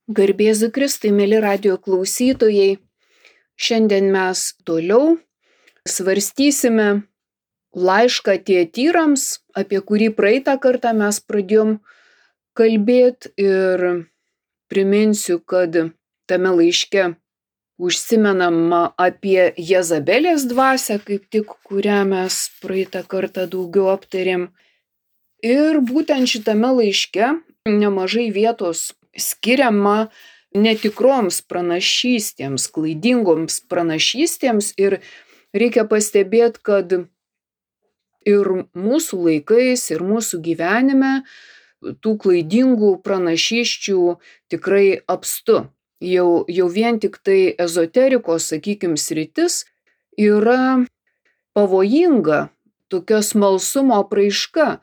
Garbėzu Kristui, mėly radijo klausytojai, šiandien mes toliau svarstysime laišką Tietyrams, apie kurį praeitą kartą mes pradėjom kalbėti ir priminsiu, kad tame laiške užsimenama apie Jezabelės dvasią, kaip tik kurią mes praeitą kartą daugiau aptarėm. Ir būtent šitame laiške nemažai vietos skiriama netikroms pranašystėms, klaidingoms pranašystėms ir reikia pastebėti, kad ir mūsų laikais, ir mūsų gyvenime tų klaidingų pranašysčių tikrai apstu. Jau vien tik tai ezoterikos, sakykim, sritis yra pavojinga tokia smalsumo apraiška.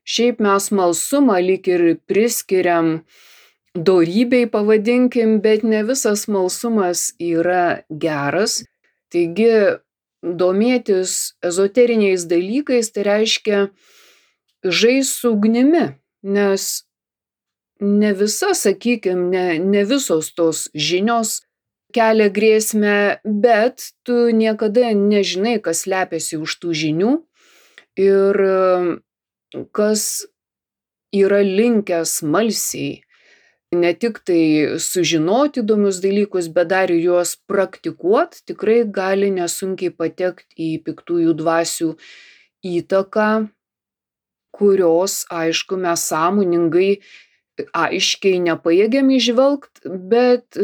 Šiaip mes smalsumą lyg ir priskiriam dorybei, pavadinkim, bet ne visas smalsumas yra geras. Taigi domėtis ezoteriniais dalykais tai reiškia žaist su ugnimi, nes ne visa, sakykim, ne visos tos žinios kelia grėsmę, bet tu niekada nežinai, kas slepiasi už tų žinių ir kas yra linkęs smalsiai ne tik tai sužinoti įdomius dalykus, bet dar ir juos praktikuot, tikrai gali nesunkiai patekti į piktųjų dvasių įtaką, kurios, aišku, mes sąmoningai aiškiai nepajėgiam įžvelgt, bet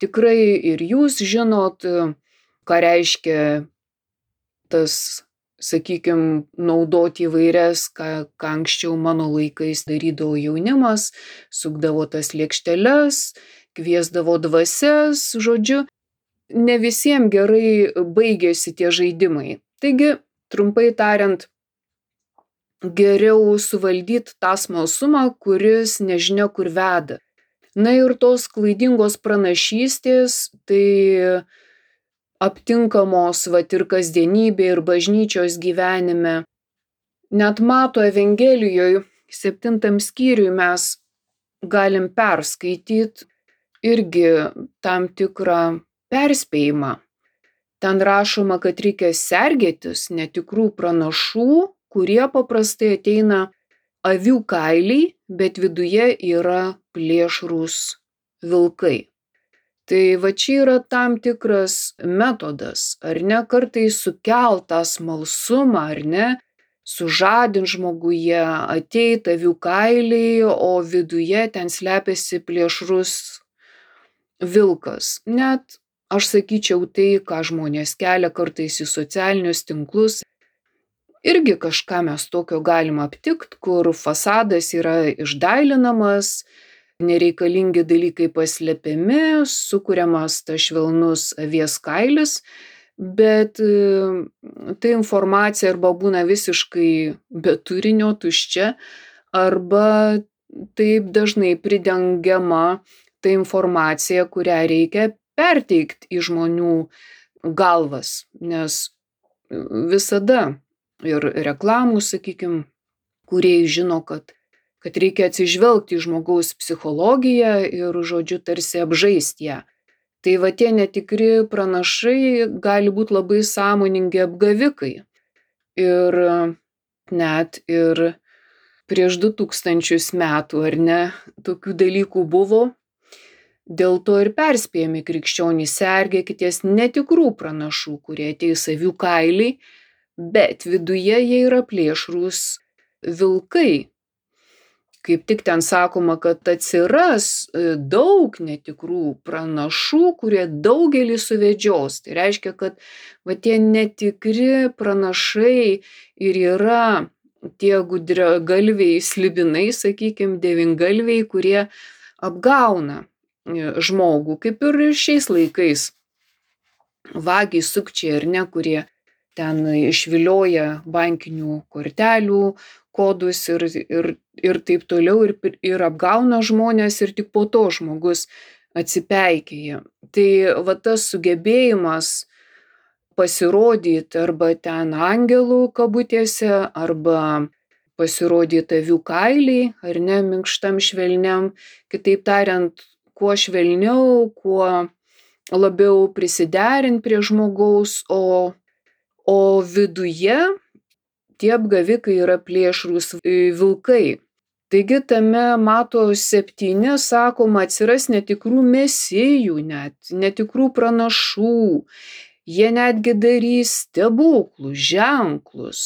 tikrai ir jūs žinot, ką reiškia tas, sakykim, naudoti įvairias, ką anksčiau mano laikais darydavo jaunimas, sukdavo tas lėkšteles, kviesdavo dvasias, žodžiu, ne visiems gerai baigėsi tie žaidimai. Taigi, trumpai tariant, geriau suvaldyti tą smalsumą, kuris nežinia kur veda. Na ir tos klaidingos pranašystės, tai aptinkamos vat ir kasdienybė, ir bažnyčios gyvenime. Net Mato Evangelijoje 7 skyriui mes galim perskaityti irgi tam tikrą perspėjimą. Ten rašoma, kad reikia sergėtis netikrų pranašų, kurie paprastai ateina avių kailiai, bet viduje yra plėšrūs vilkai. Tai va čia yra tam tikras metodas, ar ne, kartais sukelt tą smalsumą, ar ne, sužadint žmoguje, ateit avių kailiai, o viduje ten slepiasi plėšrus vilkas. Net aš sakyčiau tai, ką žmonės kelia kartais į socialinius tinklus, irgi kažką mes tokio galim aptikt, kur fasadas yra išdailinamas, nereikalingi dalykai paslepiami, sukuriamas tas švelnus avies kailis, bet ta informacija arba būna visiškai be turinio, tuščia, arba taip dažnai pridengiama ta informacija, kurią reikia perteikti į žmonių galvas, nes visada ir reklamų, sakykim, kurie žino, kad reikia atsižvelgti į žmogaus psichologiją ir, žodžiu, tarsi apžaisti ją. Tai va tie netikri pranašai gali būti labai sąmoningi apgavikai. Ir net ir prieš 2000 metų, ar ne, tokių dalykų buvo. Dėl to ir perspėjami krikščionys, sergėkitės netikrų pranašų, kurie ateis avių kailiai, bet viduje jie yra plėšrūs vilkai. Kaip tik ten sakoma, kad atsiras daug netikrų pranašų, kurie daugelį suvedžios. Tai reiškia, kad va tie netikri pranašai ir yra tie gudragalviai slibinai, sakykim, devyngalviai, kurie apgauna žmogų, kaip ir šiais laikais. Vagiai, sukčiai ar ne, kurie ten išvilioja bankinių kortelių kodus ir taip toliau ir apgauna žmonės ir tik po to žmogus atsipeikėja. Tai va tas sugebėjimas pasirodyti arba ten angelų kabutėse, arba pasirodyti avių kailiai, ar ne, minkštam švelniam, kitaip tariant, kuo švelniau, kuo labiau prisiderint prie žmogaus, o viduje tie apgavikai yra plėšrūs vilkai. Taigi tame Mato 7, sakoma, atsiras netikrų mesijų net, netikrų pranašų. Jie netgi darys stebuklus, ženklus,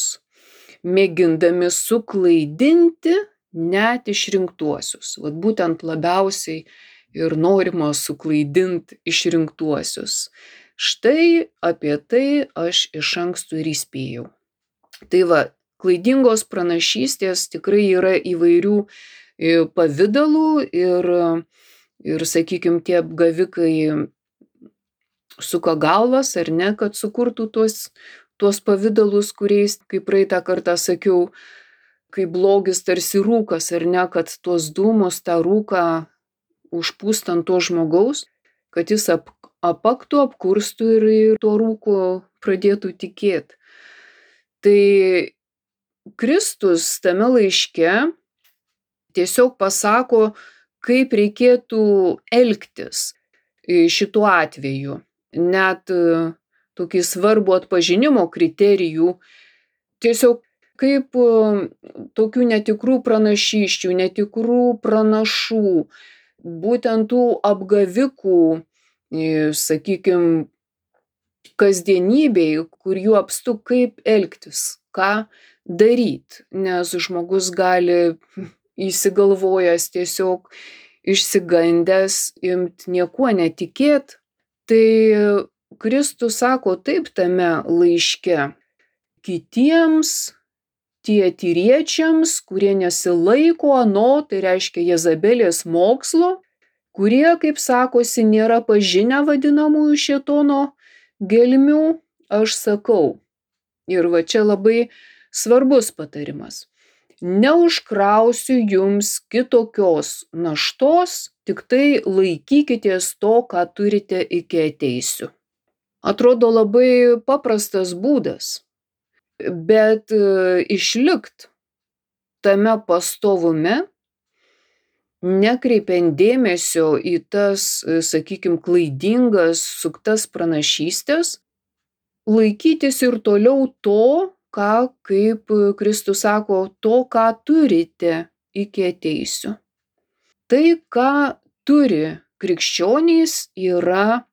mėgindami suklaidinti net išrinktuosius. Vat būtent labiausiai ir norima suklaidinti išrinktuosius. Štai apie tai aš iš anksto ir įspėjau. Tai va, klaidingos pranašystės tikrai yra įvairių pavidalų ir sakykime, tie apgavikai suka galvas, ar ne, kad sukurtų tuos pavidalus, kuriais, kaip praeitą kartą sakiau, kai blogis tarsi rūkas, ar ne, kad tuos dūmus, tą rūką užpūst ant to žmogaus, kad jis apaktų, apkurstų ir tuo rūku pradėtų tikėti. Tai Kristus tame laiške tiesiog pasako, kaip reikėtų elgtis šituo atveju. Net tokį svarbų atpažinimo kriterijų, tiesiog kaip tokių netikrų pranašysčių, netikrų pranašų, būtent tų apgavikų, sakykime, kasdienybėj, kur jų apstu, kaip elgtis, ką daryti, nes žmogus gali įsigalvojęs tiesiog išsigandęs imt niekuo netikėt. Tai Kristus sako taip tame laiške: kitiems tietyriečiams, kurie nesilaiko ano, tai reiškia Jezabelės mokslo, kurie, kaip sakosi, nėra pažinę vadinamųjų šėtono gelmių, aš sakau. Ir va čia labai svarbus patarimas. Neužkrausiu jums kitokios naštos, tik tai laikykitės to, ką turite, iki ateisiu. Atrodo labai paprastas būdas, bet išlikt tame pastovume, nekreipiant dėmesio į tas, sakykime, klaidingas, suktas pranašystės, laikytis ir toliau to, ką, kaip Kristus sako, to, ką turite, iki ateisiu. Tai, ką turi krikščionys, yra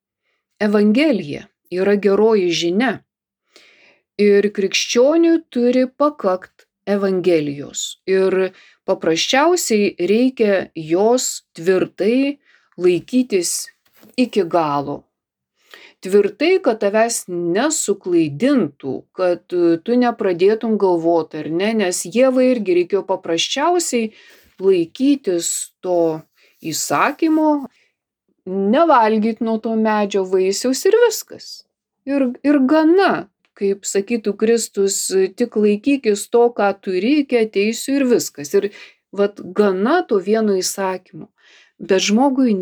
Evangelija, yra geroji žinia. Ir krikščioniui turi pakakt Evangelijos. Ir paprasčiausiai reikia jos tvirtai laikytis iki galo. Tvirtai, kad tavęs nesuklaidintų, kad tu nepradėtum galvoti, ar ne, nes Ievai irgi reikėjo paprasčiausiai laikytis to įsakymo, nevalgyti nuo to medžio vaisiaus ir viskas. Ir gana, kaip sakytų Kristus, tik laikykis to, ką turi, iki ateisiu ir viskas. Ir vat gana to vieno įsakymo. Bet žmogui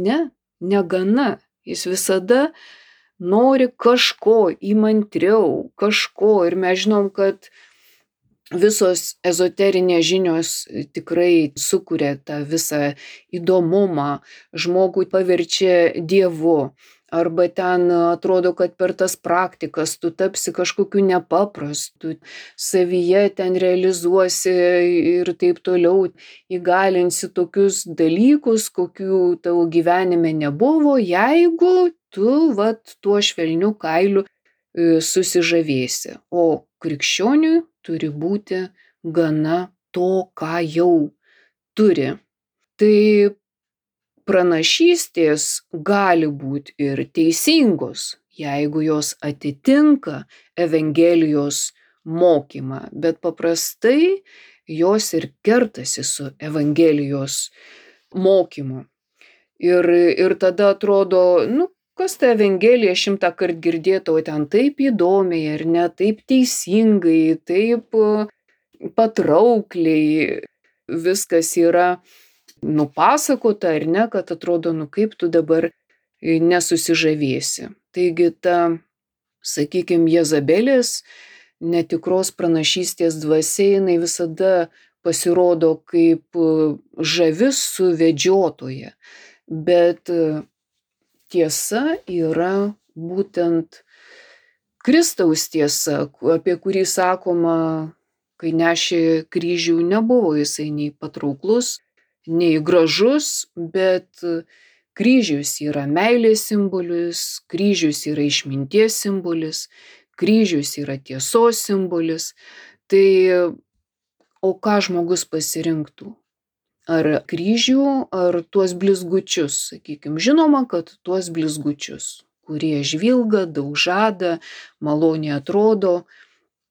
negana. Jis visada nori kažko įmantriau, kažko. Ir mes žinom, kad visos ezoterinės žinios tikrai sukuria tą visą įdomumą, žmogų paverčia dievu. Arba ten atrodo, kad per tas praktikas tu tapsi kažkokiu nepaprastu, savyje ten realizuosi ir taip toliau, įgalinsi tokius dalykus, kokių tavo gyvenime nebuvo, jeigu tu tuo švelniu kailiu susižavėsi. O krikščioniui turi būti gana to, ką jau turi. Tai pranašystės gali būti ir teisingos, jeigu jos atitinka Evangelijos mokymą, bet paprastai jos ir kertasi su Evangelijos mokymu. Ir tada atrodo, kas ta Evangelija 100 kart girdėta, o ten taip įdomiai, ar ne, taip teisingai, taip patraukliai viskas yra nupasakota, ar ne, kad atrodo, kaip tu dabar nesusižavėsi. Taigi ta, sakykime, Jezabelės netikros pranašystės dvasia, jinai visada pasirodo kaip žavi suvedžiotoja. bet tiesa yra būtent Kristaus tiesa, apie kurį sakoma, kai nešė kryžių, nebuvo jisai nei patrauklus, nei gražus, bet kryžius yra meilės simbolis, kryžius yra išminties simbolis, kryžius yra tiesos simbolis. Tai o ką žmogus pasirinktų? Ar kryžių, ar tuos blizgučius, sakykim. Žinoma, kad tuos blizgučius, kurie žvilga, daug žada, maloniai atrodo,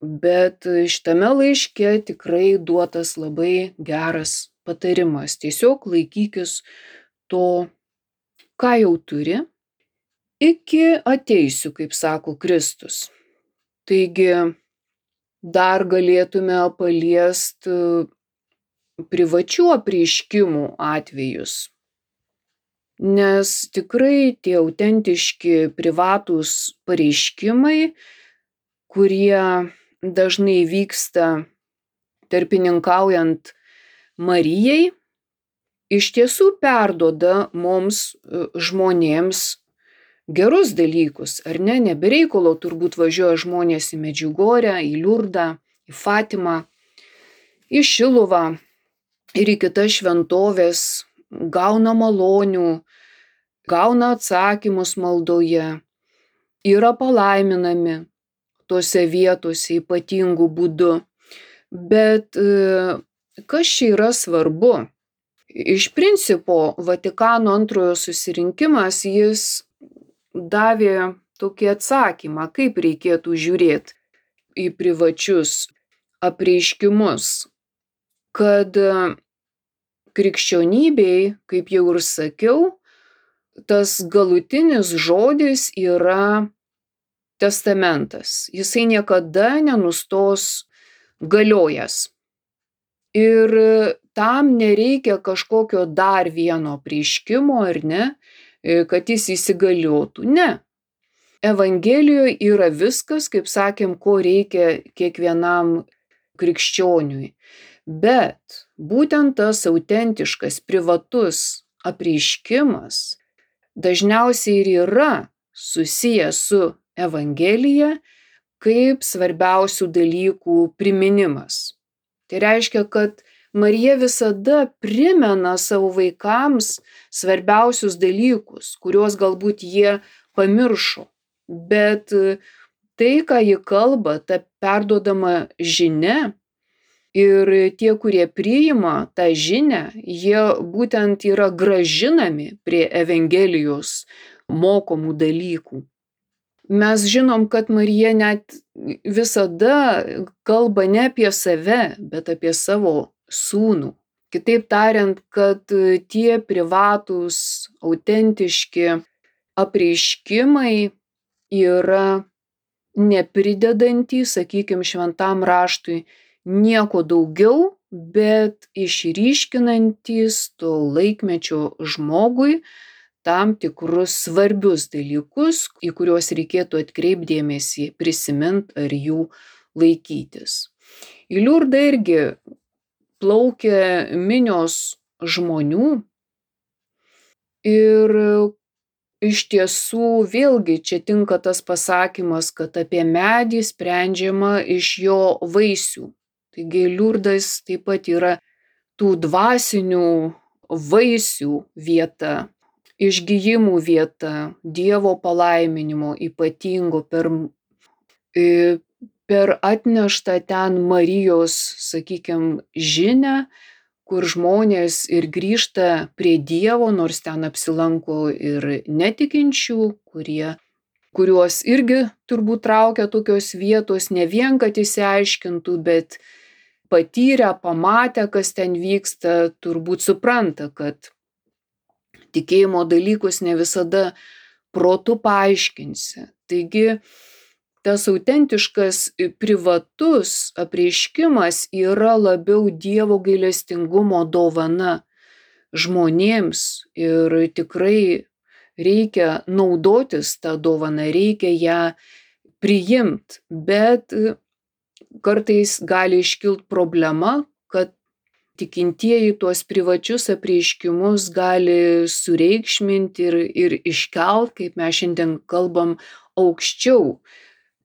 bet šitame laiške tikrai duotas labai geras patarimas. Tiesiog laikykis to, ką jau turi, iki ateisiu, kaip sako Kristus. Taigi dar galėtume paliesti privačių apreiškimų atvejus, nes tikrai tie autentiški privatūs pareiškimai, kurie dažnai vyksta tarpininkaujant Marijai, iš tiesų perduoda mums žmonėms gerus dalykus, ar ne? Ne be reikalo turbūt važiuoja žmonės į Medžiugorję, į Liurdą, į Fatimą, į Šiluvą ir į kitas šventovės, gauna malonių, gauna atsakymus maldoje, yra palaiminami tose vietose ypatingų būdų. Bet kas čia yra svarbu? Iš principo Vatikano antrojo susirinkimas, jis davė tokį atsakymą, kaip reikėtų žiūrėti į privačius apreiškimus, kad krikščionybei, kaip jau ir sakiau, tas galutinis žodis yra testamentas. Jisai niekada nenustos galiojęs. Ir tam nereikia kažkokio dar vieno apreiškimo, ar ne, kad jis įsigaliotų. Ne. Evangelijoje yra viskas, kaip sakėm, ko reikia kiekvienam krikščioniui. Bet būtent tas autentiškas, privatus apreiškimas dažniausiai ir yra susijęs su Evangelija kaip svarbiausių dalykų priminimas. Tai reiškia, kad Marija visada primena savo vaikams svarbiausius dalykus, kuriuos galbūt jie pamiršo. Bet tai, ką ji kalba, ta perduodama žinia, ir tie, kurie priima tą žinią, jie būtent yra grąžinami prie Evangelijos mokomų dalykų. Mes žinom, kad Marija net visada kalba ne apie save, bet apie savo sūnų. Kitaip tariant, kad tie privatūs, autentiški apreiškimai yra nepridedantys, sakykim, šventam raštui nieko daugiau, bet išryškinantys to laikmečio žmogui tam tikrus svarbius dalykus, į kuriuos reikėtų atkreipti dėmesį, prisimint ar jų laikytis. Į Liurdą irgi plaukia minios žmonių ir iš tiesų vėlgi čia tinka tas pasakymas, kad apie medį sprendžiama iš jo vaisių. Taigi Liurdas taip pat yra tų dvasinių vaisių vieta, išgijimų vieta, Dievo palaiminimo ypatingo per atneštą ten Marijos, sakykim, žinią, kur žmonės ir grįžta prie Dievo, nors ten apsilanko ir netikinčių, kuriuos irgi turbūt traukia tokios vietos, ne vien, kad išsiaiškintų, bet patyrę, pamatę, kas ten vyksta, turbūt supranta, kad tikėjimo dalykus ne visada protu paaiškinsi. Taigi, tas autentiškas privatus apreiškimas yra labiau Dievo gailestingumo dovana žmonėms ir tikrai reikia naudotis tą dovaną, reikia ją priimt, bet kartais gali iškilt problema, kad tikintieji tuos privačius apreiškimus gali sureikšminti ir iškelt, kaip mes šiandien kalbam, aukščiau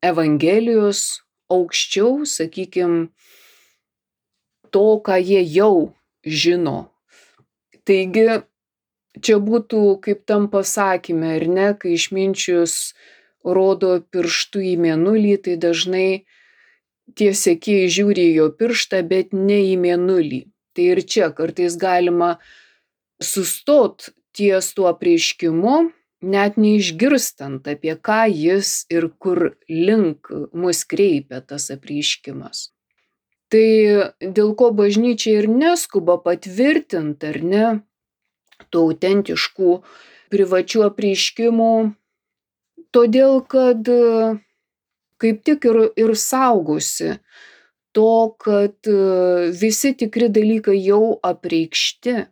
Evangelijos, aukščiau, sakykim, to, ką jie jau žino. Taigi, čia būtų kaip tam pasakyme, ar ne, kai išminčius rodo pirštu į mėnulį, tai dažnai tie sekėjai žiūri į jo pirštą, bet ne į mėnulį. Tai ir čia kartais galima sustot ties tuo apreiškimu, net neišgirstant, apie ką jis ir kur link mus kreipia tas apreiškimas. Tai dėl ko bažnyčia ir neskuba patvirtinti, ar ne, tų autentiškų privačių apreiškimų, todėl kad kaip tik ir saugosi to, kad visi tikri dalykai jau apreikšti,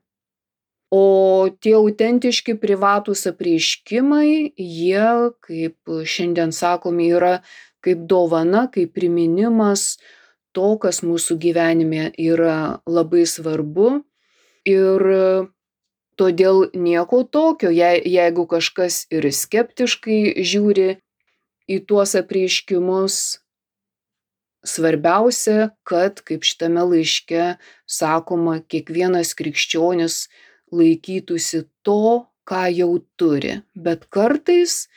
o tie autentiški privatūs apreiškimai, jie, kaip šiandien sakomi, yra kaip dovana, kaip priminimas to, kas mūsų gyvenime yra labai svarbu. Ir todėl nieko tokio, jeigu kažkas ir skeptiškai žiūri į tuos apreiškimus, svarbiausia, kad, kaip šitame laiške sakoma, kiekvienas krikščionis laikytųsi to, ką jau turi. Bet kartais,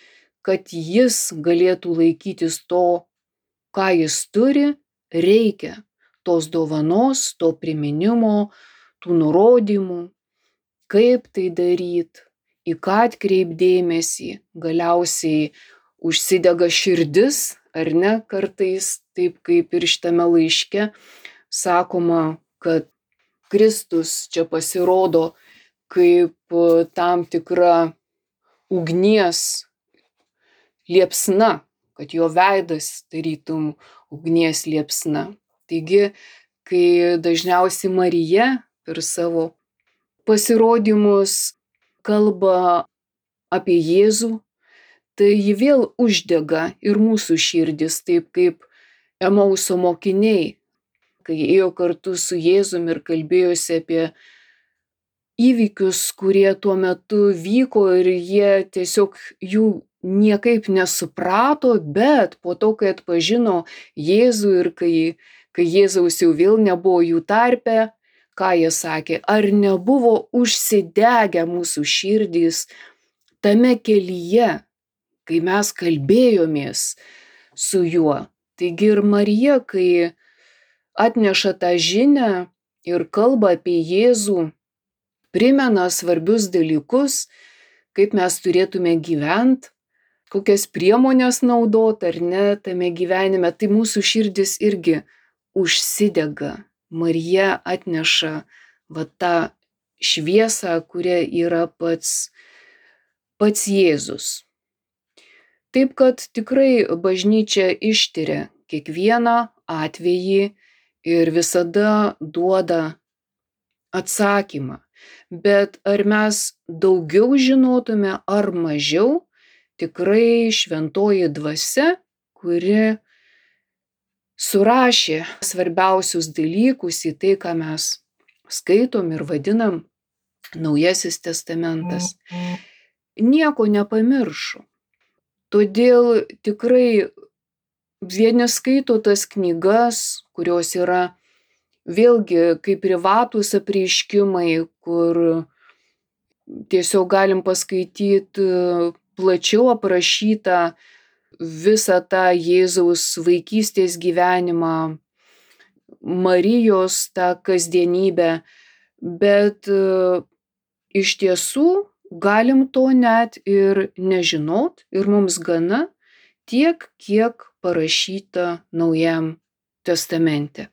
kad jis galėtų laikytis to, ką jis turi, reikia tos dovanos, to priminimo, tų nurodymų, kaip tai daryt, į ką atkreipt dėmesį, galiausiai užsidega širdis, ar ne, kartais, taip kaip ir šitame laiške sakoma, kad Kristus čia pasirodo kaip tam tikra ugnies liepsna, kad jo veidas tarytum ugnies liepsna. Taigi, kai dažniausiai Marija per savo pasirodymus kalba apie Jėzų, tai ji vėl uždega ir mūsų širdis, taip kaip Emauso mokiniai, kai ėjo kartu su Jėzumi ir kalbėjosi apie įvykius, kurie tuo metu vyko ir jie tiesiog jų niekaip nesuprato, bet po to, kai atpažino Jėzų ir kai Jėzaus jau vėl nebuvo jų tarpe, ką jie sakė, ar nebuvo užsidegę mūsų širdys tame kelyje, kai mes kalbėjomės su juo. Taigi ir Marija, kai atneša tą žinią ir kalba apie Jėzų, primena svarbius dalykus, kaip mes turėtume gyventi, kokias priemonės naudot ar ne tame gyvenime, tai mūsų širdis irgi užsidega. Marija atneša tą šviesą, kuria yra pats Jėzus. Taip kad tikrai bažnyčia ištiria kiekvieną atvejį ir visada duoda atsakymą. Bet ar mes daugiau žinotume ar mažiau, tikrai šventoji dvasia, kuri surašė svarbiausius dalykus į tai, ką mes skaitom ir vadinam Naujasis testamentas, nieko nepamiršo. Todėl tikrai vieni skaito tas knygas, kurios yra vėlgi kaip privatūs apreiškimai, kur tiesiog galim paskaityti plačiau aprašytą visą tą Jėzaus vaikystės gyvenimą, Marijos tą kasdienybę, bet iš tiesų galim to net ir nežinot ir mums gana tiek, kiek parašyta Naujajam testamente.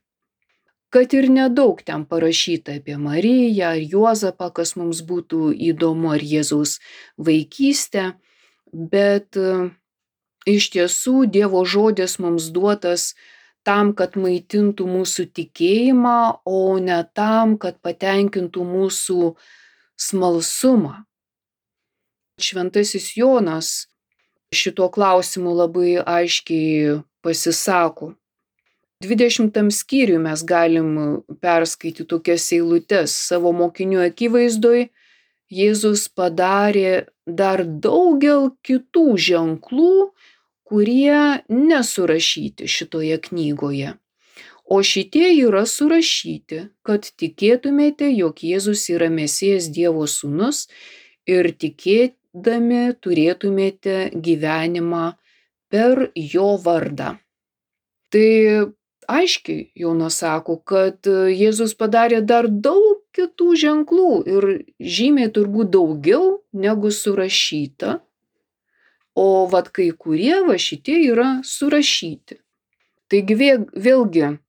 Kad ir nedaug ten parašyta apie Mariją ar Juozapą, kas mums būtų įdomu, ar Jėzaus vaikystę, bet iš tiesų Dievo žodis mums duotas tam, kad maitintų mūsų tikėjimą, o ne tam, kad patenkintų mūsų smalsumą. Šventasis Jonas šituo klausimu labai aiškiai pasisako. 20 skyriui mes galim perskaityti tokias eilutes. Savo mokinių akivaizdoj Jėzus padarė dar daugel kitų ženklų, kurie nesurašyti šitoje knygoje. O šitie yra surašyti, kad tikėtumėte, jog Jėzus yra Mesijas Dievo sūnus ir tikėdami turėtumėte gyvenimą per jo vardą. Tai aiškiai Jonas sako, kad Jėzus padarė dar daug kitų ženklų ir žymiai turbūt daugiau negu surašyta, o vat kai kurie šitie yra surašyti. Taigi vėlgi,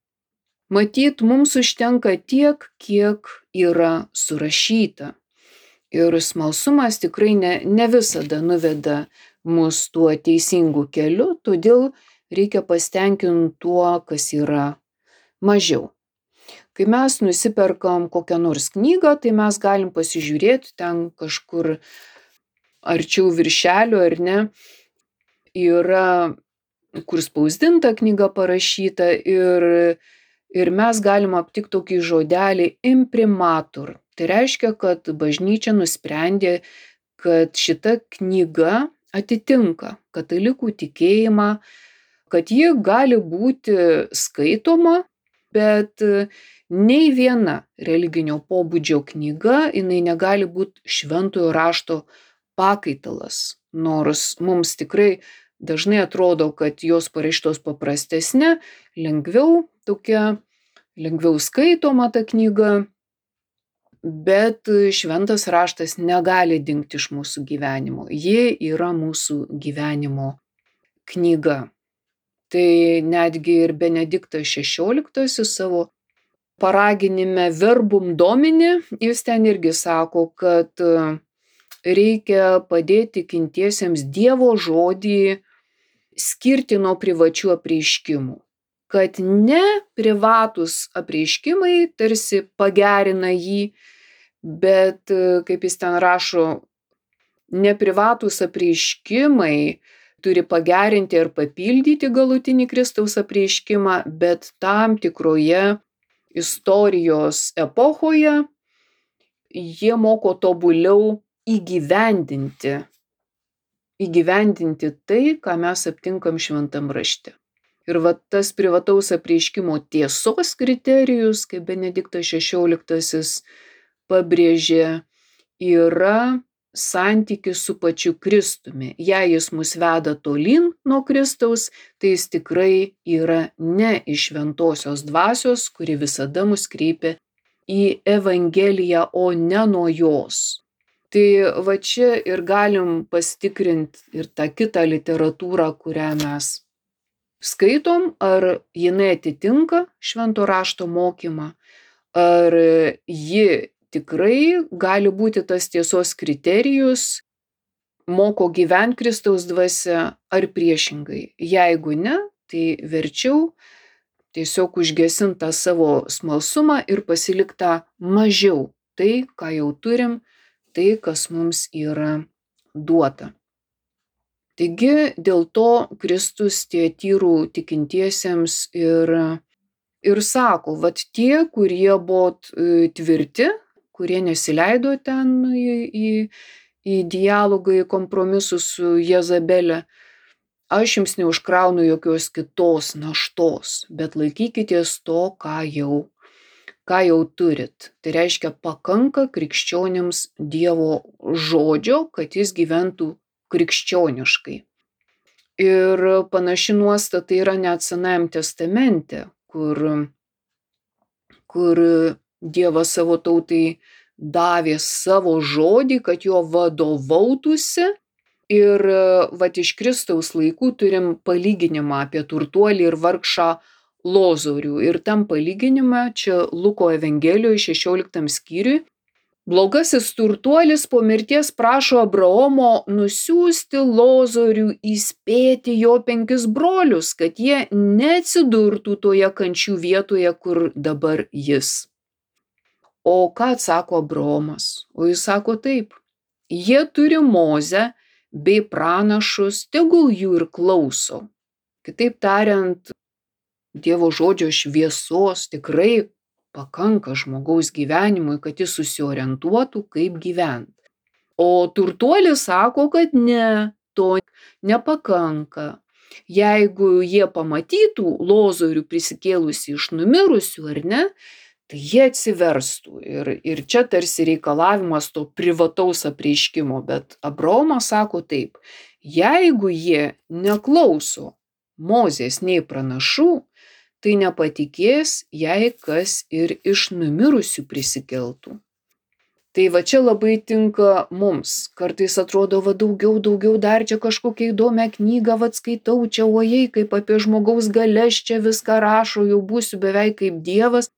matyt, mums užtenka tiek, kiek yra surašyta. Ir smalsumas tikrai ne visada nuveda mus tuo teisingu keliu, todėl reikia pasitenkinti tuo, kas yra mažiau. Kai mes nusiperkam kokią nors knygą, tai mes galim pasižiūrėti ten kažkur arčiau viršelio, ar ne, yra, kur spausdinta knyga parašyta ir mes galim aptikti tokį žodelį imprimatur. Tai reiškia, kad bažnyčia nusprendė, kad šita knyga atitinka katalikų tikėjimą, kad ji gali būti skaitoma, bet nei viena religinio pobūdžio knyga, jinai negali būti šventojo rašto pakaitalas. Nors mums tikrai dažnai atrodo, kad jos parašytos paprastesnė, lengviau skaitoma ta knyga, bet šventas raštas negali dingti iš mūsų gyvenimo. Ji yra mūsų gyvenimo knyga. Tai netgi ir Benediktas XVI savo paraginime Verbum Domini, jis ten irgi sako, kad reikia padėti tikintiesiems Dievo žodį skirti nuo privačių apreiškimų. Kad ne privatus apreiškimai tarsi pagerina jį, bet, kaip jis ten rašo, ne privatus apreiškimai turi pagerinti ar papildyti galutinį Kristaus apreiškimą, bet tam tikroje istorijos epochoje jie moko tobuliau įgyvendinti tai, ką mes aptinkam šventam rašte. Ir tas privataus apreiškimo tiesos kriterijus, kaip Benediktas XVI pabrėžė, yra santykis su pačiu Kristumi. Jei jis mus veda tolyn nuo Kristaus, tai jis tikrai yra ne iš šventosios dvasios, kuri visada mus kreipia į Evangeliją, o ne nuo jos. Tai čia ir galim pasitikrinti ir tą kitą literatūrą, kurią mes skaitom, ar jinai atitinka švento rašto mokymą, ar ji tikrai gali būti tas tiesos kriterijus, moko gyventi Kristaus dvasia, ar priešingai. Jeigu ne, tai verčiau tiesiog užgesinti tą savo smalsumą ir pasiliktą mažiau tai, ką jau turim, tai, kas mums yra duota. Taigi dėl to Kristus Tiatyrų tikintiesiems ir sako, tie, kurie buvo tvirti, kurie nesileido ten į dialogą, į kompromisus su Jezabele, aš jums neužkraunu jokios kitos naštos, bet laikykitės to, ką jau turit. Tai reiškia, pakanka krikščionims Dievo žodžio, kad jis gyventų krikščioniškai. Ir panaši nuostata yra net Senajam testamente, kur Dievas savo tautai davė savo žodį, kad jo vadovautųsi. Ir iš Kristaus laikų turim palyginimą apie turtuolį ir vargšą Lozorių. Ir tam palyginime, čia Luko Evangelijoje 16 skyriui, blogasis turtuolis po mirties prašo Abraomo nusiųsti Lozorių įspėti jo 5 brolius, kad jie neatsidurtų toje kančių vietoje, kur dabar jis. O ką atsako Abraomas? O jis sako taip: jie turi Mozę bei pranašus, tegul jų ir klauso. Kitaip tariant, Dievo žodžio šviesos tikrai pakanka žmogaus gyvenimui, kad jis susiorientuotų, kaip gyventi. O turtuolis sako, kad ne, to nepakanka. Jeigu jie pamatytų Lozorių prisikėlusį iš numirusių, ar ne, tai jie atsiverstų. Ir čia tarsi reikalavimas to privataus apreiškimo, bet Abraomas sako taip, jeigu jie neklauso Mozės nei pranašų, tai nepatikės, jei kas ir iš numirusių prisikeltų. Tai va čia labai tinka mums. Kartais atrodo, va daugiau, dar čia kažkokią įdomią knygą, va skaitau, čia ojei, kaip apie žmogaus galias čia viską rašo, jau būsiu beveik kaip Dievas.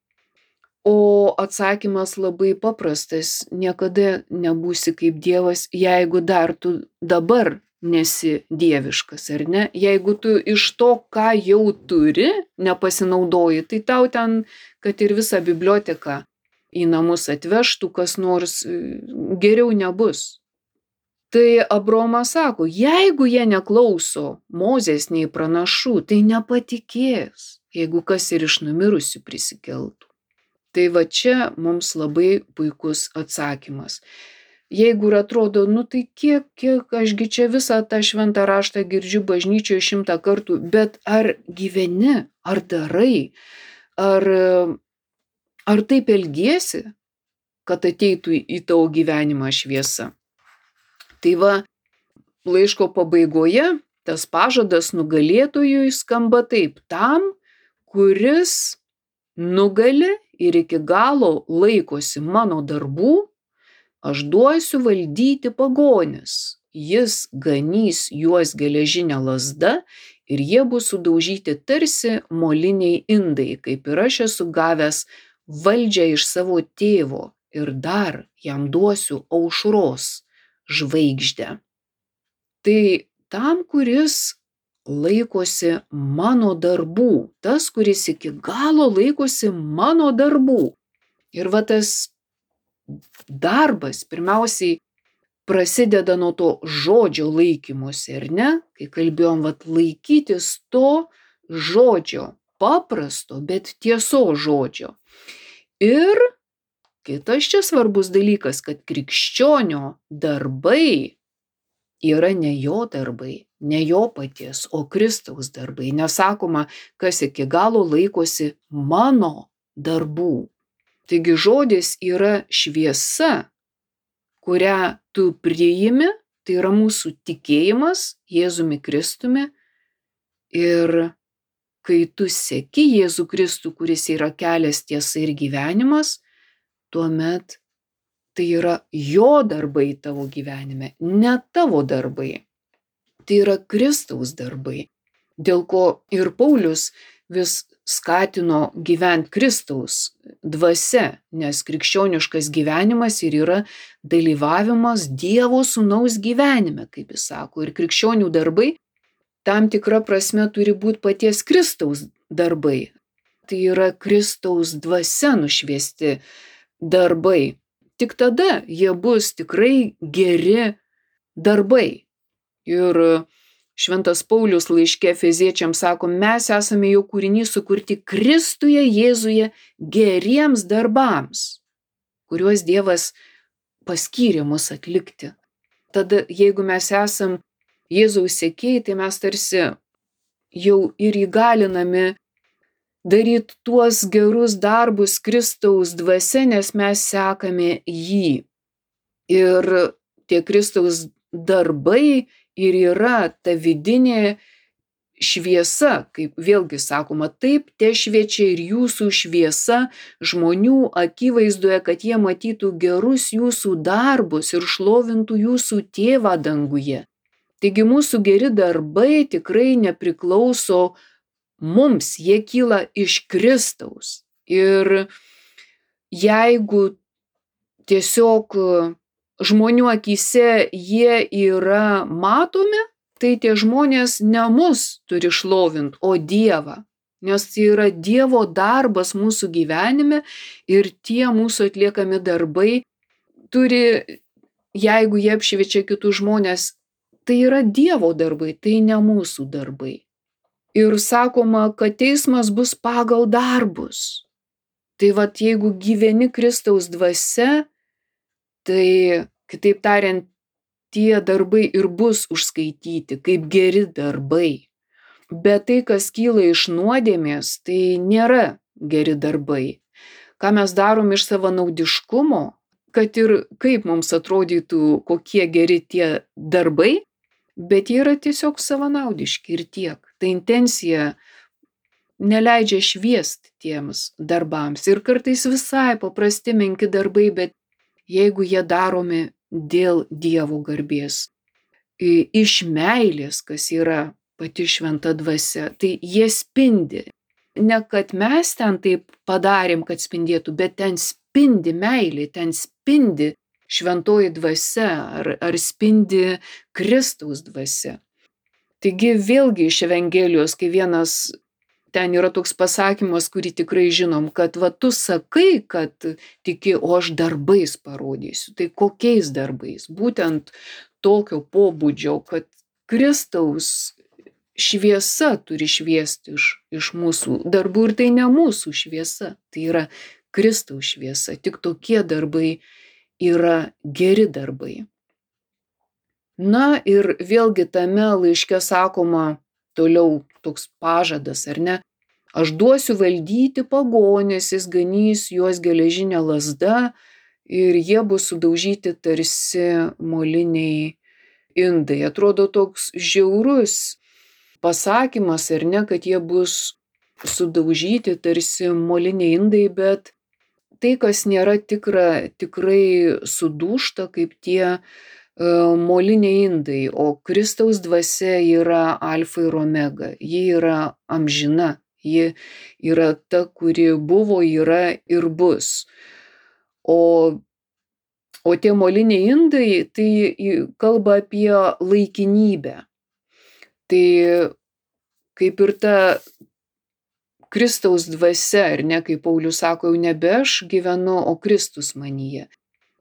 O atsakymas labai paprastas, niekada nebūsi kaip Dievas, jeigu dar tu dabar nesi dieviškas, ar ne? Jeigu tu iš to, ką jau turi, nepasinaudoji, tai tau ten, kad ir visą biblioteką į namus atvežtų, kas nors geriau nebus. Tai Abraomas sako, jeigu jie neklauso Mozės nei pranašų, tai nepatikės, jeigu kas ir iš numirusių prisikeltų. Tai va čia mums labai puikus atsakymas. Jeigu ir atrodo, tai kiek ašgi čia visą tą šventą raštą girdžiu bažnyčioje 100 kartų, bet ar gyveni, ar darai, ar taip elgiesi, kad ateitų į tavo gyvenimą šviesa? Tai va, laiško pabaigoje tas pažadas nugalėtojui skamba taip, tam, kuris nugali ir iki galo laikosi mano darbų, aš duosiu valdyti pagonis, jis ganys juos geležinę lazdą ir jie bus sudaužyti tarsi moliniai indai, kaip ir aš esu gavęs valdžią iš savo tėvo ir dar jam duosiu aušros žvaigždę. Tai tam, kuris laikosi mano darbų, tas, kuris iki galo laikosi mano darbų. Ir va tas darbas pirmiausiai prasideda nuo to žodžio laikymosi, ar ne? Kai kalbėjom, laikytis to žodžio, paprasto, bet tiesos žodžio. Ir kitas čia svarbus dalykas, kad krikščionio darbai yra ne jo darbai, ne jo paties, o Kristaus darbai. Nesakoma, kas iki galo laikosi mano darbų. Taigi žodis yra šviesa, kurią tu priimi, tai yra mūsų tikėjimas Jėzumi Kristumi. Ir kai tu seki Jėzų Kristų, kuris yra kelias, tiesa ir gyvenimas, tuomet tai yra jo darbai tavo gyvenime, ne tavo darbai. Tai yra Kristaus darbai, dėl ko ir Paulius vis skatino gyventi Kristaus dvasia, nes krikščioniškas gyvenimas ir yra dalyvavimas Dievo Sūnaus gyvenime, kaip jis sako. Ir krikščionių darbai tam tikra prasme turi būti paties Kristaus darbai. Tai yra Kristaus dvasia nušviesti darbai. Tik tada jie bus tikrai geri darbai. Ir Šventas Paulius laiške Efeziečiams sako, mes esame jo kūrinys sukurti Kristuje Jėzuje geriems darbams, kuriuos Dievas paskyrė mus atlikti. Tada, jeigu mes esam Jėzaus sekėjai, tai mes tarsi jau ir įgalinami daryti tuos gerus darbus Kristaus dvasia, nes mes sekame jį. Ir tie Kristaus darbai ir yra ta vidinė šviesa, kaip vėlgi sakoma, taip te šviečia ir jūsų šviesa žmonių akivaizdoje, kad jie matytų gerus jūsų darbus ir šlovintų jūsų tėvą danguje. Taigi mūsų geri darbai tikrai nepriklauso mums, jie kyla iš Kristaus. Ir jeigu tiesiog žmonių akyse jie yra matomi, tai tie žmonės ne mus turi šlovinti, o Dievą. Nes tai yra Dievo darbas mūsų gyvenime ir tie mūsų atliekami darbai turi, jeigu jie apšviečia kitus žmonės, tai yra Dievo darbai, tai ne mūsų darbai. Ir sakoma, kad teismas bus pagal darbus. Tai vat jeigu gyveni Kristaus dvasia, tai kitaip tariant, tie darbai ir bus užskaityti kaip geri darbai. Bet tai, kas kyla iš nuodėmės, tai nėra geri darbai. Ką mes darom iš savanaudiškumo, kad ir kaip mums atrodytų, kokie geri tie darbai, bet jie yra tiesiog savanaudiški ir tiek. Ta intencija neleidžia šviest tiems darbams. Ir kartais visai paprasti menki darbai, bet jeigu jie daromi dėl Dievo garbės, iš meilės, kas yra pati šventa dvasia, tai jie spindi. Ne kad mes ten taip padarėm, kad spindėtų, bet ten spindi meilė, ten spindi šventoji dvasia ar spindi Kristaus dvasia. Taigi vėlgi iš Evangelijos, kai vienas ten yra toks pasakymas, kurį tikrai žinom, kad va tu sakai, kad tiki, o aš darbais parodysiu. Tai kokiais darbais? Būtent tokio pobūdžio, kad Kristaus šviesa turi šviesti iš mūsų darbų ir tai ne mūsų šviesa, tai yra Kristaus šviesa. Tik tokie darbai yra geri darbai. Na ir vėlgi tame laiške sakoma toliau toks pažadas, ar ne? Aš duosiu valdyti pagonis, jis ganys juos geležinė lazda ir jie bus sudaužyti tarsi moliniai indai. Atrodo toks žiaurus pasakymas, ar ne, kad jie bus sudaužyti tarsi moliniai indai, bet tai, kas nėra tikra, tikrai sudūžta kaip tie moliniai indai, o Kristaus dvasia yra alfa ir omega, ji yra amžina, ji yra ta, kuri buvo, yra ir bus. O tie moliniai indai, tai kalba apie laikinybę. Tai kaip ir ta Kristaus dvasia, ar ne, kaip Paulius sako, jau nebe aš gyvenu, o Kristus manyje.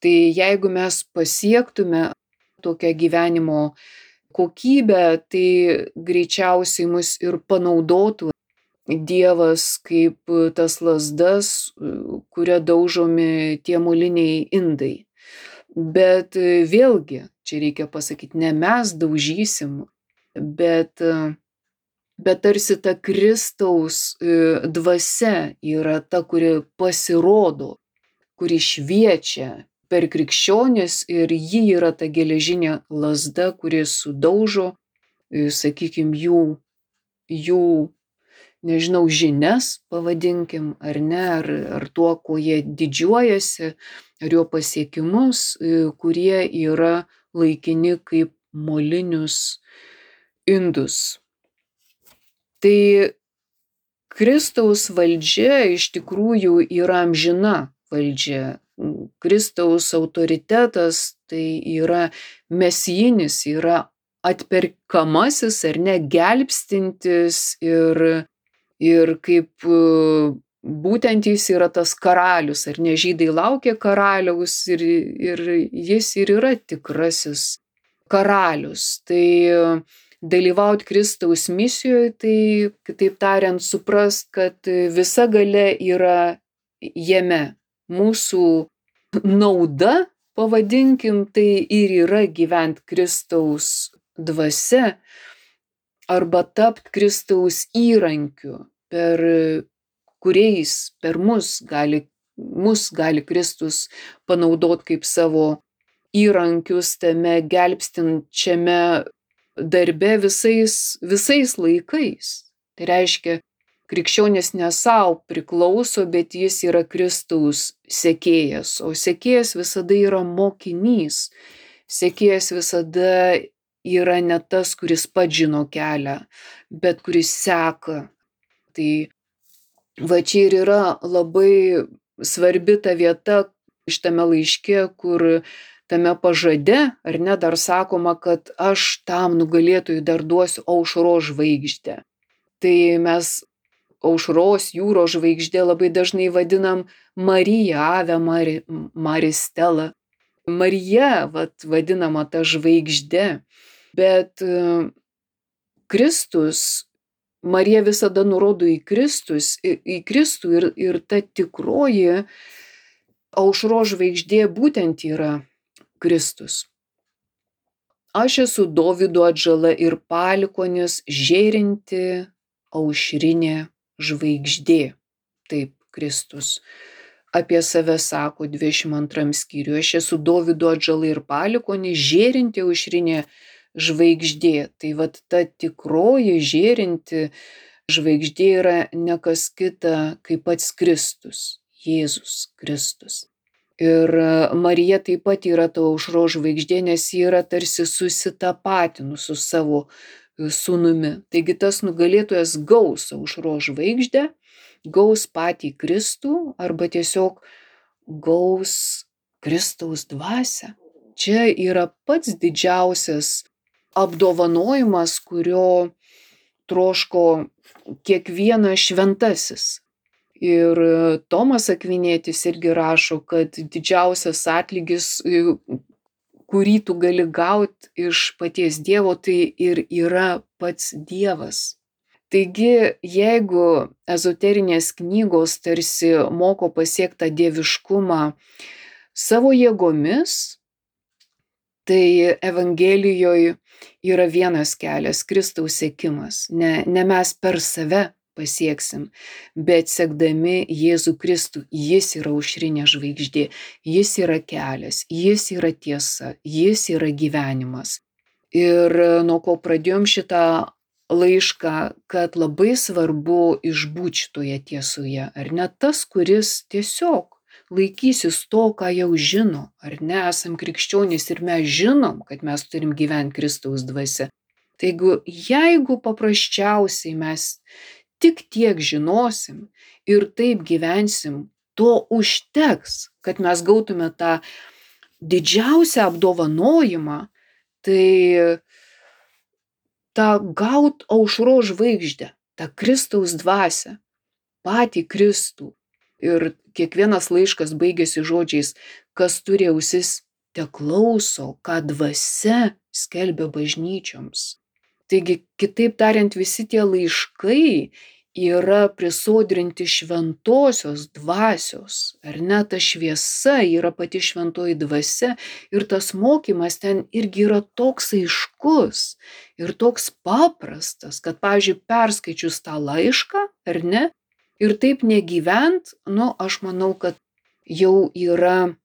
Tai jeigu mes pasiektume tokią gyvenimo kokybę, tai greičiausiai mus ir panaudotų Dievas kaip tas lazdas, kuria daužomi tie moliniai indai. Bet vėlgi, čia reikia pasakyti, ne mes daužysim, bet tarsi ta Kristaus dvasia yra ta, kuri pasirodo, kuri šviečia per krikščionis ir ji yra ta geležinė lazda, kuri sudaužo, sakykime, jų, nežinau, žinias, pavadinkim, ar ne, ar tuo, kuo jie didžiuojasi, ar jo pasiekimus, kurie yra laikini kaip molinius indus. Tai Kristaus valdžia iš tikrųjų yra amžina valdžia. Kristaus autoritetas tai yra mesijinis, yra atperkamasis ar ne, gelbstintis ir kaip būtent jis yra tas karalius, ar ne, žydai laukia karaliaus ir jis ir yra tikrasis karalius. Tai dalyvauti Kristaus misijoje, tai kitaip tariant suprast, kad visa galia yra jame. Mūsų nauda, pavadinkim, tai ir yra gyventi Kristaus dvasia arba tapti Kristaus įrankiu, per kuriais per mus gali Kristus panaudoti kaip savo įrankius tame gelbstinčiame darbe visais laikais. Tai reiškia, krikščionis ne savo priklauso, bet jis yra Kristaus sekėjas, o sekėjas visada yra mokinys. Sekėjas visada yra ne tas, kuris pats žino kelią, bet kuris seka. Tai va čia ir yra labai svarbi ta vieta šitame laiške, kur tame pažade, ar ne, dar sakoma, kad aš tam nugalėtojui dar duosiu aušros žvaigždę. Tai mes aušros jūros žvaigždė labai dažnai vadinam Mariją, Ave Maristela. Marija, vadinama ta žvaigždė, bet Kristus Marija visada nurodo į Kristų ir ta tikroji aušros žvaigždė būtent yra Kristus. Aš esu Dovydo atžala ir palikuonis, žėrinti aušrinė žvaigždė. Taip Kristus apie save sako 22 skyriuje. Aš esu Dovydo atžala ir palikuonis, žėrinti aušrinė žvaigždė. Tai vat ta tikroji žėrinti žvaigždė yra ne kas kita kaip pats Kristus, Jėzus Kristus. Ir Marija taip pat yra ta aušros žvaigždė, nes ji yra tarsi susitapatinus su savo sūnumi. Taigi tas nugalėtojas gaus aušros žvaigždę, gaus patį Kristų arba tiesiog gaus Kristaus dvasią. Čia yra pats didžiausias apdovanojimas, kurio troško kiekvienas šventasis. Ir Tomas Akvinietis irgi rašo, kad didžiausias atlygis, kurį tu gali gauti iš paties Dievo, tai ir yra pats Dievas. Taigi, jeigu ezoterinės knygos tarsi moko pasiekti tą dieviškumą savo jėgomis, tai Evangelijoje yra vienas kelias - Kristaus sekimas. Ne mes per save pasieksim, bet sekdami Jėzų Kristų. Jis yra aušrinė žvaigždė, jis yra kelias, jis yra tiesa, jis yra gyvenimas. Ir nuo ko pradėjom šitą laišką, kad labai svarbu išbūti šitoje tiesoje, ar ne? Tas, kuris tiesiog laikysis to, ką jau žino, ar ne? Esam krikščionys ir mes žinom, kad mes turim gyventi Kristaus dvasia. Taigi, jeigu paprasčiausiai mes tik tiek žinosim ir taip gyvensim, to užteks, kad mes gautume tą didžiausią apdovanojimą, tai tą gaut aušros žvaigždę, tą Kristaus dvasią, patį Kristų. Ir kiekvienas laiškas baigėsi žodžiais, kas turi ausis, teklauso, ką dvasia skelbia bažnyčioms. Taigi, kitaip tariant, visi tie laiškai yra prisodrinti šventosios dvasios, ar ne? Ta šviesa yra pati šventoji dvasia ir tas mokymas ten irgi yra toks aiškus ir toks paprastas, kad, pavyzdžiui, perskaičius tą laišką, ar ne? Ir taip negyvent, aš manau, kad jau yra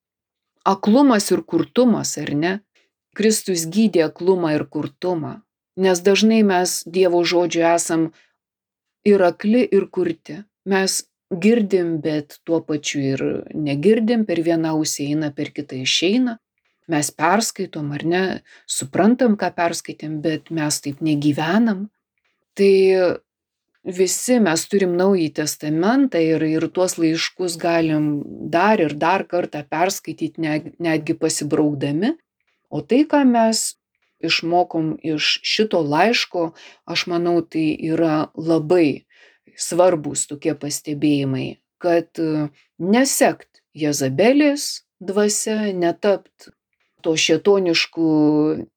aklumas ir kurtumas, ar ne? Kristus gydė aklumą ir kurtumą. Nes dažnai mes Dievo žodžio esam ir akli, ir kurti. Mes girdim, bet tuo pačiu ir negirdim, per vieną ausį eina, per kitą išeina. Mes perskaitom, ar ne, suprantam, ką perskaitėm, bet mes taip negyvenam. Tai visi mes turim Naująjį testamentą ir tuos laiškus galim dar ir dar kartą perskaityti, netgi pasibraukdami. O tai, ką mes išmokom iš šito laiško, aš manau, tai yra labai svarbus tokie pastebėjimai, kad nesekt Jezabelės dvasia, netapt to šėtoniškų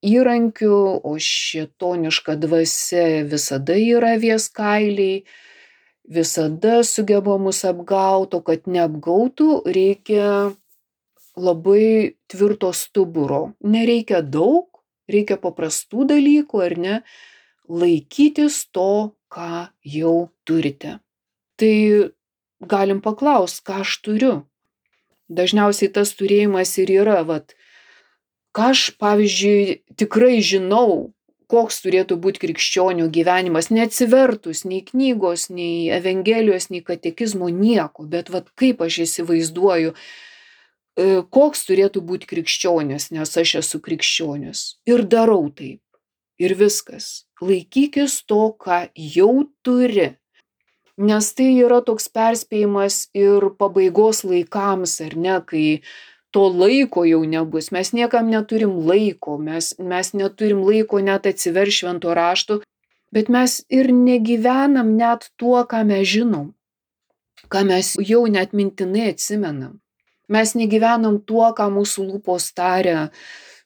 įrankių, o šėtoniška dvasia visada yra avies kailiai, visada sugeba mus apgauti, o kad neapgautų, reikia labai tvirto stuburo. Nereikia daug, reikia paprastų dalykų, ar ne? Laikytis to, ką jau turite. Tai galim paklausti, ką aš turiu. Dažniausiai tas turėjimas ir yra, ką aš, pavyzdžiui, tikrai žinau, koks turėtų būti krikščionių gyvenimas, neatsivertus nei knygos, nei Evangelijos, nei katekizmo, nieko, bet kaip aš įsivaizduoju, koks turėtų būti krikščionis, nes aš esu krikščionis. Ir darau taip. Ir viskas. Laikykis to, ką jau turi. Nes tai yra toks perspėjimas ir pabaigos laikams, ar ne, kai to laiko jau nebus. Mes niekam neturim laiko, mes neturim laiko net atsiversti švento rašto, bet mes ir negyvenam net tuo, ką mes žinom, ką mes jau net mintinai atsimenam. Mes negyvenam tuo, ką mūsų lūpos taria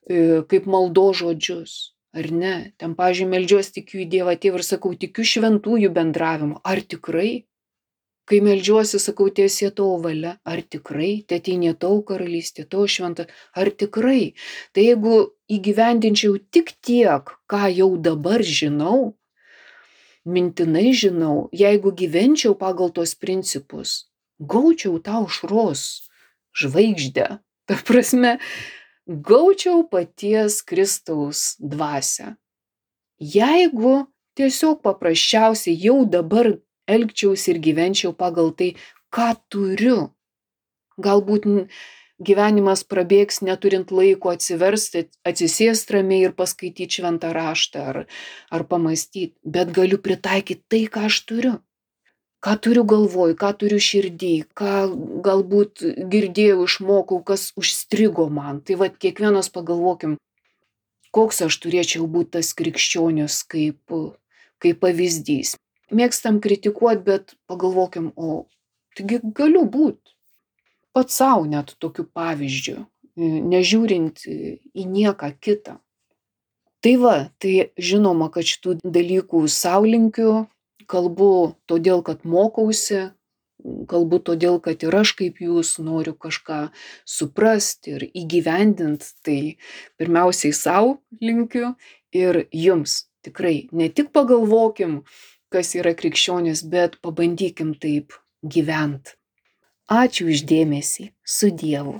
kaip maldos žodžius. ar ne? Ten, pavyzdžiui, meldžiuos tikiu į Dievą Tėvą ir sakau, tikiu šventųjų bendravimu. Ar tikrai? Kai meldžiuosi, sakau, tiesie tavo valia. Ar tikrai? Teateinie tavo karalystė, tavo šventa. Ar tikrai? Tai jeigu įgyvendinčiau tik tiek, ką jau dabar žinau, mintinai žinau, jeigu gyvenčiau pagal tos principus, gaučiau tą aušros žvaigždę. Ta prasme, gaučiau paties Kristaus dvasią. Jeigu tiesiog paprasčiausiai jau dabar elgčiausi ir gyvenčiau pagal tai, ką turiu. Galbūt gyvenimas prabėgs neturint laiko atsiversti, atsisėst ramiai ir paskaityti šventą raštą ar pamąstyti, bet galiu pritaikyti tai, ką aš turiu. Ką turiu galvoj, ką turiu širdį, ką galbūt girdėjau, išmokau, kas užstrigo man. Tai vat kiekvienas pagalvokim, koks aš turėčiau būti tas krikščionis kaip pavyzdys. Mėgstam kritikuoti, bet pagalvokim, o taigi galiu būti pats savo net tokiu pavyzdžiu, nežiūrint į nieką kitą. Tai va, tai žinoma, kad šitų dalykų sau linkiu, kalbu todėl, kad mokausi, kalbu todėl, kad ir aš kaip jūs noriu kažką suprasti ir įgyvendinti, tai pirmiausiai sau linkiu ir jums. Tikrai, ne tik pagalvokim, kas yra krikščionis, bet pabandykim taip gyvent. Ačiū už dėmesį. Su Dievu.